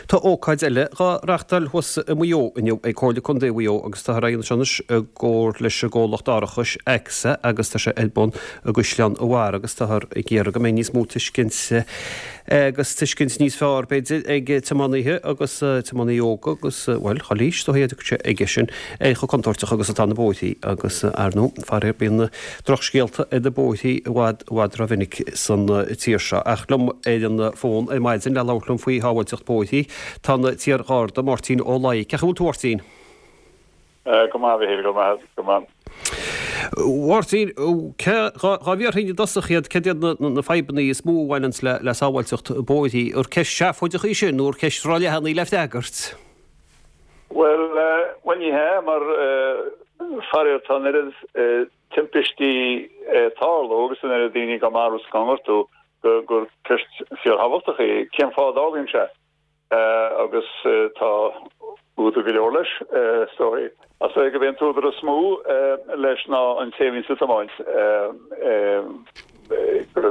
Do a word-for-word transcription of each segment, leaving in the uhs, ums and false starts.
Tá ócáid eile dhá reachtáil thuas i Maigh Eo inniu ag Comhairle Contae Mhaigh Eo agus táthar á dhéanamh seo anois i gcomhar leis an gcomhlacht árachais AXA agus tá sé ar bun i gCaisleán an Bharraigh agus táthar ag iarraidh go mbeidh níos mó tuiscint agus tuiscint níos fearr b'fhéidir ag tiománaithe agus tiománaithe óga agus bhuel chuile aois dóigh a sé aige sin ar chomh contúirteach agus atá na bóithrí agus ar ndóigh faraor bíonn drochscéalta ar na bóithrí i bhfad i bhfad rómhinic san tír seo. Ach liom ar an bhfón ar maidin le labhairt liom faoi shábháilteacht bóithrí tá an t-iar-Gharda Máirtín Ó Laoi. Cén chaoi a bhfuil tú a Mháirtín? Go maith a go maith go maith. Mháirtín dhá bhfiarthainn i dtosach iad cad iad na fadhbanna is mó a bhaineanns le le sábháilteacht bóithrí ar ceist seafóideach í sin nó ar ceist róleathan í le freagairt? Well well ní hea mar faraor tá an oiread timpistí ag tarlú agus an oiread daoine á marú is á ngortú gur ceist fíorthábhachtach í cén fáth a dtarlaíonn sé agus tá údar go leor leis is dóigh. Is dóigh gurb é an t-údar is mó leis ná an té a bhíonns ag tiomáint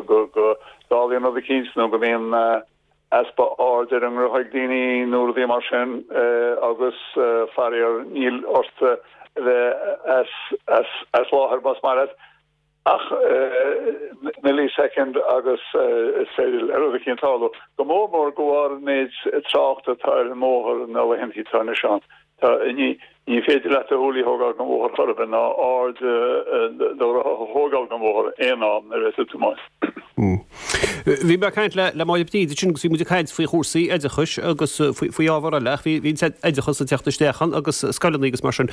go dtarlaíonn rud eicínt nó go mbíonn easpa aird ar an ngrutha ag daoine nó rudaí mar sin agus faraor níl ort a bheith as láthair más maith leat. Ach millisecond agus is féidir le rud eicínt tarlú. Go mór mór de bharr an méid tráchta atá ar an mbóthar na laethanta atá anois ann. Tá ní ní féidir leat do shúile a thógáil den bhóthar chor ar bith ná aird do ghutha a thógáil den bhóthar aon am nuair atá tú ag tiomáint. Bhí mé ag caint le Máire Bríd ansin agus bhí muid ag caint faoi chúrsaí oideachais agus faoi ábhar eile ach bhí an t-oideachas ag teacht isteach ann agus scoileanna agus mar sin.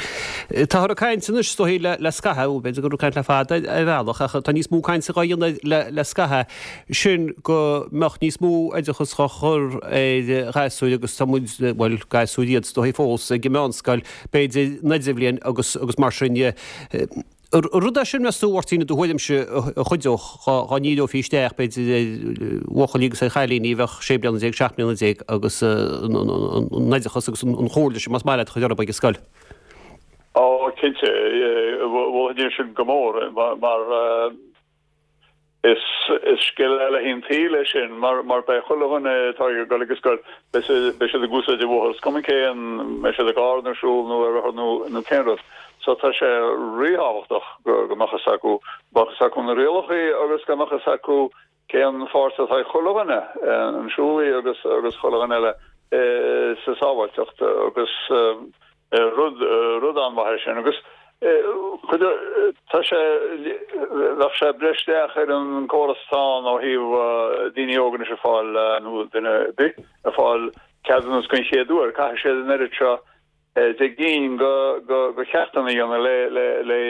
Táthar ag caint anois is dóigh le scaitheamh, b'fhéidir go raibh caint le fada ar bhealach ach tá níos mó cainte á dhéanamh le scaitheamh sin go mbeadh níos mó oideachas á chur ar ghasúir agus tá muid, bhuel gasúir iad is dóigh fós ag an meánscoil b'fhéidir an idirbhliain agus agus mar sin de. Ar rud é sin, meas tú, a Mháirtín, i do thuairimse, a chuideodh dhá ndíreofaí isteach, b'fhéidir, ar bhuachaillí agus ar chailíní a bheadh sé bliana déag, seacht mbliana déag agus an oideachas agus an chomhairle sin, más maith leat, a chur orthu ag an scoil? Ó, cinnte, mholfainn é sin go mór, mar Is scil eile an tsaoil é sin, mar beidh chuile dhuine atá ag dul ag an scoil, beidh siad ag úsáid an bhóthair, is cuma cén, mbeidh siad i gcarr nó siúl nó ar rothar nó cén rud. So tá sé ríthábhachtach go mbeadh fhios acu, go mbeadh fhios acu na rialacha agus go mbeadh fhios acu cén pháirt atá ag chuile dhuine, an siúlaí agus agus chuile dhuine eile sa sábháilteacht agus Rud, rud an-mhaith é sin agus tá sé, bheadh sé ag breith isteach ar an gcóras atá ann ó thaobh daoine óga anois ag fáil, nó duine ar bith ag fáil ceadúnas den chéad uair, caithfidh siad an oiread seo de gcinn de cheachtanna a dhéanamh le, le, le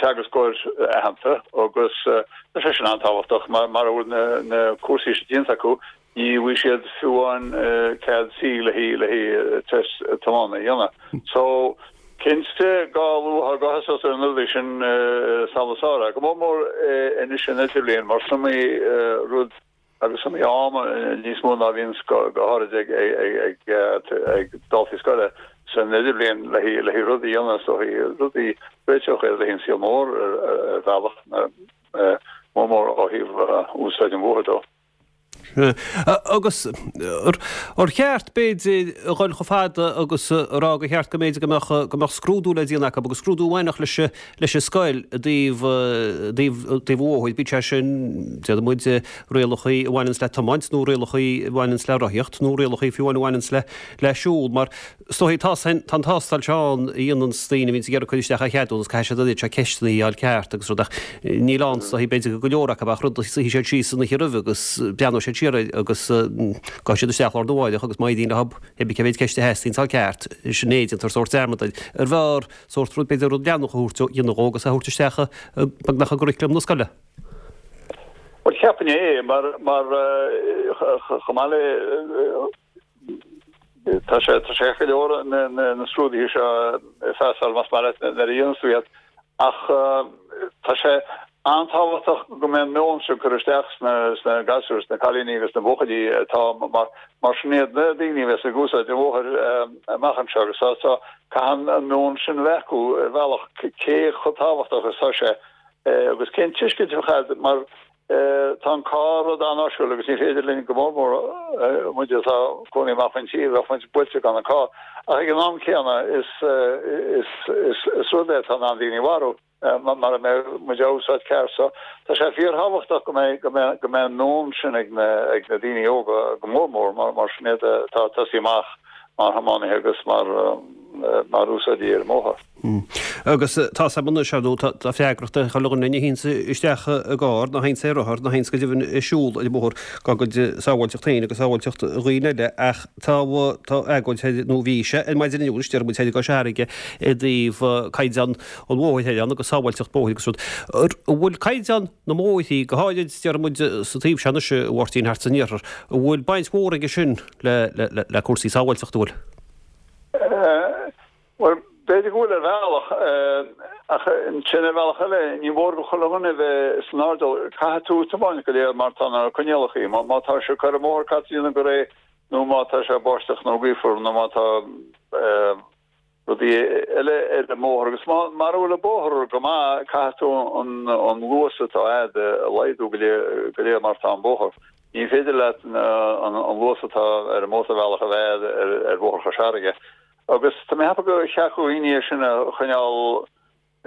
teagascóir aitheanta agus tá sé sin an-tábhachtach mar mara bhfuil na, na cúrsaí sin déanta acu Ní bhfaighidh siad fiú amháin cead C le haghaidh test tiomána a dhéanamh. So, cinnte, dhá luaithe go thosódh ar na rudaí sin is amhlaidh is fearr é. Go mór mór anois san idirbhliain mar is iomaí rud agus is iomaí am níos mó ná a bhíonns go háirid ag daltaí scoile san idirbhliain le haghaidh rudaí a dhéanamh is dóichí, rudaí a réiteodh iad le haghaidh an saol mór ar bhealach, mór mór ó thaobh úsáid an bhóthair dó. Agus ar cheart, b'fhéidir, a dhul chomh fada agus a rá gur cheart go mb'fhéidir go mbeadh go mbeadh scrúdú le déanamh acu agus scrúdú a bhainfeadh leis leis an scoil i dtaobh i dtaobh i dtaobh an bhóthair, bíodh sé sin, déarfaidh muid, rialacha a bhaineanns le tiomáint nó rialacha a bhaineanns le rothaíocht nó rialacha fiú amháin a bhaineanns le le siúl mar Is dóigh, tá an tástáil seo ann a dhéananns daoine a bhíonns ag iarraidh cur isteach ar cheadúnas, caithfidh siad an oiread seo ceisteanna a fháil ceart agus rud ach níl ann is dóigh, b'fhéidir go go leor acu ach rud a suífidh siad síos an oíche roimhe agus breathnóidh siad siar air agus gabhfaidh siad isteach lá arna mháireach agus má éiríonn leo pé ar bith cé mhéid ceist a theastaíonn a fháil ceart, sin é, déantar sórt dearmad air. Arbh fhearr sórt rud, b'fhéidir rud leanúnach a thabhairt ó dhéanamh dhó agus a thabhairt isteach beagnach i gcuraclam na scoile. Bhuel, cheapfainn é mar, mar chomh maith le Tá sé tá sé go leor na na scrúduithe seo a phasáil más maith leat nuair a dhéananns tú iad ach tá sé an-tábhachtach go mbeidh an meon seo curtha isteach sna sna gasúir, sna cailíní agus sna buachaillí atá mar mar sin iad na daoine a bheas ag úsáid an bhóthair amach anseo agus tá tá caithfidh an meon sin a bheith acu ar bhealach cé chomh tábhachtach is atá sé agus cén tuiscint a bheadh agat mar Tá an carr rud an-áisiúil agus ní féidir linn go mór mór muid atá ag cónaí amach faoin tír bheadh muid buailte gan an carr. Ach ag an am céanna is is is is rud é atá in ann daoine a mharú mara mbeidh muid á úsáid ceart. So tá sé fíorthábhachtach go mbeidh go mbeidh go mbeidh an meon sin ag na ag na daoine óga go mór mór mar mar sin iad atá ag tosaí amach mar thiománaithe agus mar mar úsáidí ar an mbóthar. Agus tá a fhios agam anois, ar ndóigh, tá freagracht ar chuile dhuine a théanns isteach i gcarr, nó a théanns ar rothar, nó a théanns go deimhin ag siúl ar an mbóthar, dá gcuid sábháilteacht féin agus sábháilteacht dhaoine eile, ach tá tá agóid thoir, nó bhí sé ar maidin inniu anois, deir muid thoir i gCois Fharraige i dtaobh caighdeán an bhóthair thoir ann agus sábháilteacht bóthair agus rud. An bhfuil caighdeán na mbóithrí, go háirid, deir muid, sa taobh seo anois, a Mháirtín, thart san iarthar, an bhfuil baint mhór aige sin le le le cúrsaí sábháilteachta, an bhfuil? Bhuel, b'fhéidir go bhfuil ar bhealach, ach ansin ar bhealach eile, ní mór do chuile dhuine a bheith san airdeall. Caithfidh tú tiomáint go léir mar tá na coinníollacha. Má tá sé ag cur an bhóthar caithfidh tú déanamh go réidh nó má tá sé báisteach nó gaofar nó má tá rudaí eile ar an mbóthar. Agus mara bhfuil an bóthar go maith, caithfidh tú an luas atá agat a laghdú go léir mar tá an bóthar. Ní féidir leat an luas atá ar an mótarbhealach a bheith ar Bhóthar Chois Fharraige. Agus tá mé ag ceapadh gur cheart do dhaoine é sin a choinneáil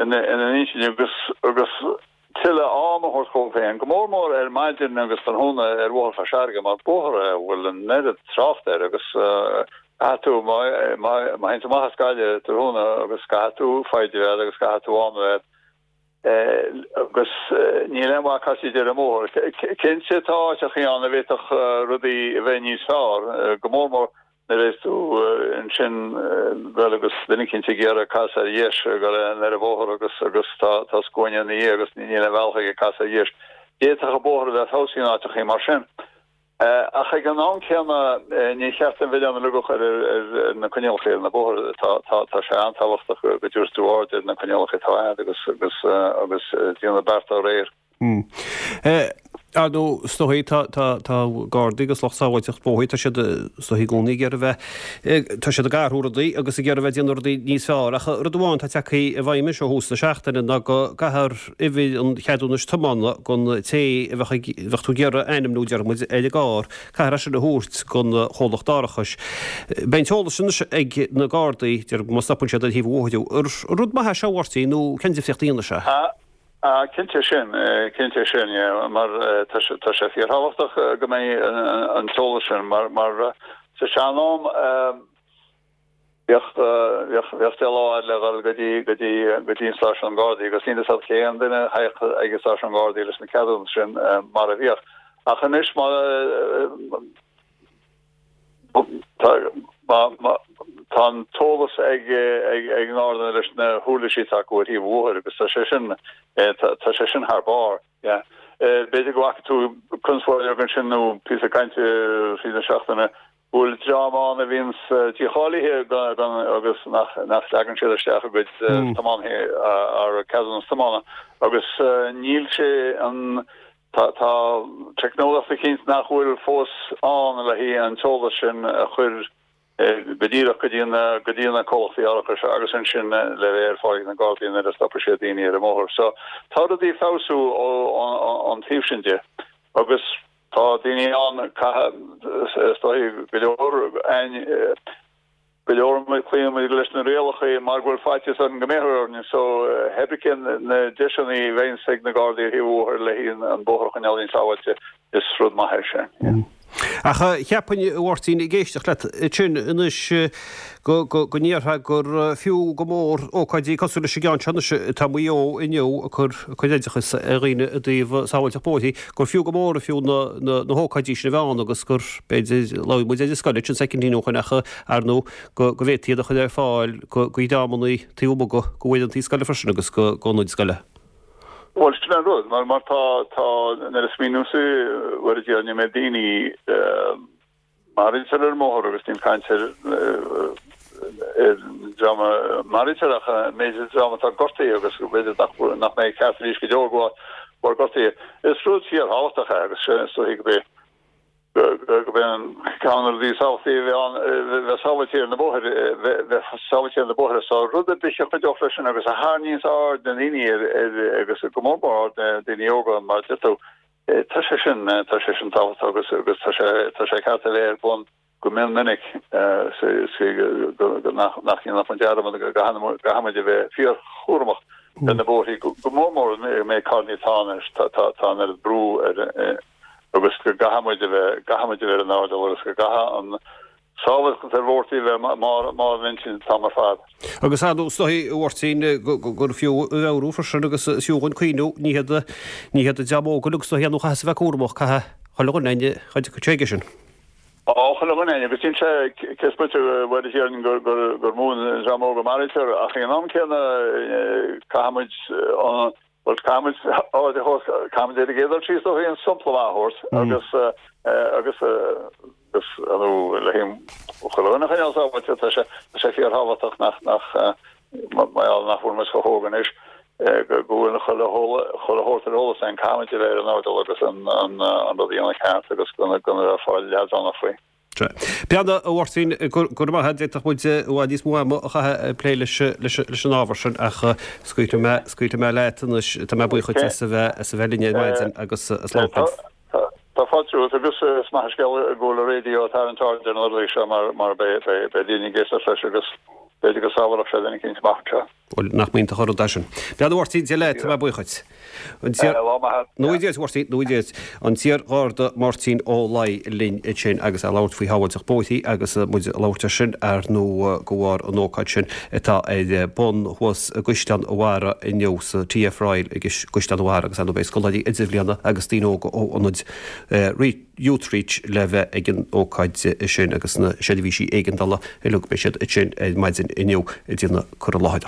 ina n-intinn agus agus tuilleadh am a thabhairt dhóibh féin, go mór mór ar maidin agus tráthnóna ar Bhóthar Chois Fharraige mar bóthar é a bhfuil an oiread trácht air agus caithfidh tú, má théann tú amach as Gaillimh tráthnóna agus caithfidh tú foighid a bheith agat agus caithfidh tú am a bheith agat. Agus níl aon mhaith casadh ar an mbóthar. Cinnte tá áiteachaí ann a bhféadfadh rudaí a bheith níos fearr, go mór mór nuair a bheas tú ansin bhuel agus duine eicínt ag iarraidh casadh ar dheis ag dul ar an bhóthar agus agus tá tá scuaine ina dhiaidh agus níl aon bhealach aige casadh ar dheis. D'fhéadfadh an bóthar a bheith feabhsaithe in áiteachaí mar sin. Ach ag an am céanna, ní cheart an milleán a leagadh ar na coinníollacha ar na bóithre. Tá sé an-tábhachtach go dtabharfaidh tú aird ar na coinníollacha atá agat agus agus agus déanamh beart dá réir. Ar ndóigh, is dóigh, tá tá tá Gardaí agus lucht sábháilteacht bóthair, tá siad is dóigh i gcónaí ag iarraidh a bheith, tá siad ag athrú rudaí agus ag iarraidh a bheith ag déanamh rudaí níos fearr. Ach rud amháin atá tagtha i bhfeidhm anois ó thús na seachtaine ná go gcaithfear uimhir an cheadúnais tiomána don té a bheadh ag, bheadh tú ag iarraidh a ainmniú, deir muid, ar an gcarr, caithfear é sin a thabhairt don chomhlacht árachais. Beidh an t-eolas sin anois ag na Gardaí, deir, má stopann siad ar thaobh an bhóthair thú. An rud maith é seo, a Mháirtín, nó cén difríocht a dhéanfaidh sé? Ah, cinnte sin, cinnte sin, yeah, mar tá sé, tá sé fíorthábhachtach go mbeidh an t-eolas sin mar, mar sa sean-am, Bheadh, bheadh, bheadh deich lá agat le dhul go dtí, go dtí, go dtí an stáisiún Gardaí agus níl fhios agat cén duine a théadh ag an stáisiún Gardaí leis na ceadúnas sin mar a bhíodh. Ach anois má, tá, má, má, tá an t-eolas ag, ag, ag an nGarda leis na huirlisí atá acu ar thaobh an bhóthair agus tá sé sin, tá, tá sé sin thar barr. Yeah. B'fhéidir go bhfaca tú conspóid bheag ansin nó píosa cainte fríd na seachtaine go bhfuil dream ann a bhíonns dícháilithe agus nach nach leagann siad isteach a gcuid tiománaithe ar ceadúnas tiomána agus níl sé an tá tá teicneolaíocht eicínt nach bhfuil fós ann le haghaidh an t-eolas sin a chur go díreach go dtí na go dtí na comhlachtaí árachais agus ansin le bheith ar fáil ag na Gardaí nuair a stopfaidh siad daoine ar an mbóthar. So tá rudaí ag feabhsú ó an taobh sin de agus tá daoine ann caithfidh is dóigh go leor againn go leor cloíonn muid leis na rialacha mar go bhfuil faitíos orainn go mbéarfar orainn so cibé na deiseanna a bheidh ag na Gardaí ar thaobh an bhóthair le haghaidh an bóthar a choinneáil níos sábháilte is rud maith é sin. Ach cheapfainn, a Mháirtín, ag éisteacht leat ansin anois, go ndéarfá gur fiú go mór ócáidí cosúil leis an gceann seo anois atá i Maigh Eo inniu ag cur oideachas ar dhaoine i dtaobh sábháilteacht bóithre, gur fiú go mór fiú na hócáidí sin a bheith ann agus gur, b'fhéidir, labhair muid ar an scoil ansin soicindín ó shoin ach, ar ndóigh, go bhféadfaí iad a chur ar fáil go dhreamanna taobh amuigh go uaireantaí scoile freisin agus go ionaid scoile. Bhuel, sin an rud, mar mar tá, tá, nuair a smaoiníonn tú, bhuel, a Dhia, an méid daoine maraítear ar an mbóthar agus níl caint ar ar dream a maraítear ach an méid dream atá gortaithe agus b'fhéidir nach nach mbeidh ceart arís go deo de bharr gortaithe. Is rud fíorthábhachtach é agus is dóigh go b'é go b'é an ceann de na rudaí is tábhachtaí a bheith ann, bheith sábháilte ar na bóithre, bheith sábháilte ar na bóithre. So rud ar bith a chuideodh leis sin agus a tharraingíonns aird na ndaoine ar, ar, agus go mór mór aird na daoine óga mar a deir tú, Tá sé sin tá sé sin tábhachtach agus agus tá sé tá sé ceart a bheith ar bun go mion minic nach nach ndéanfar dearmad go gcaithfimid a bheith fíorchúramach ar na bóithrí go mór mór an méid carranna atá anois tá tá tá an oiread brú ar agus go gcaithfimid a bheith gcaithfimid a bheith ar an airdeall agus go gcaithfidh an sábháilteacht ar bhóithrí a bheith mar mar an intinn an t-am ar fad. Agus ar ndóigh is dóichí a Mháirtín gur fiú a mheabhrú freisin agus is fiú dhúinn cuimhniú ní hiad ní hiad an dream óg uilig is dóichí nó chaithfeas a bheith cúramach caithfidh chuile dhuine againne chuid chuige sin. Á chuile dhuine againne agus sin sé cé is moite bhuel is déarfainn gur gur gur mó an dream óg a maraítear ach ag an am céanna caithfimid an bhuel caithfimid aird a thabhairt caithfimid ar an gcéad dul síos dóibh an sampla maith a thabhairt agus agus agus nó le chuile dhuine a choinneáil sábháilte tá sé tá sé fíorthábhachtach nach nach mar gheall nach bhfuil muid chomh hóg anois go go bhfuil chuile chuile shórt ar eolas againn caithfimid a bheith ar an airdeall agus an an an rud a dhéanamh ceart agus gan gan a bheith ag fáil leadránach faoi. Beanna, a Mháirtín, go raibh maith agat, d'fhéadfadh muid i bhfad níos mó ama a chaitheamh ag plé leis leis an ábhar sin ach scaoilfidh mé scaoilfidh mé leat anois, tá mé buíoch duit as a bheith as a bheith linn ar maidin agus slán fad. Tá fáilte romhat agus is maith an scéal go bhfuil an raidió ag tarraingt aird ar na rudaí seo mar mar beidh beidh daoine ag éisteacht leis agus b'fhéidir go sábhálfadh sé duine eicínt amach anseo. Bhuel, nach mb'iontach an rud é sin. Beanna, a Mháirtín, Dia leat, tá mé buíoch duit. An t-iar... Lá maith. Nó Dia duit, a Mháirtín, nó Dia duit. An t-iar-Gharda Máirtín Ó Laoi linn ansin agus é ag labhairt faoi shábháilteacht bóithrí agus muid ag labhairt air sin ar ndóigh de bharr an ócáid sin atá ar bun thuas i gCaisleán an Bharraigh inniu sa TF Royal i gCaisleán an Bharraigh agus ar ndóigh beidh scoláirí idirbhliana agus daoine óga ó ionad Youthreach le bheith ag an ócáid sin agus na seirbhísí éigeandála uilig beidh siad ansin ar maidin inniu ag déanamh cur i láthair.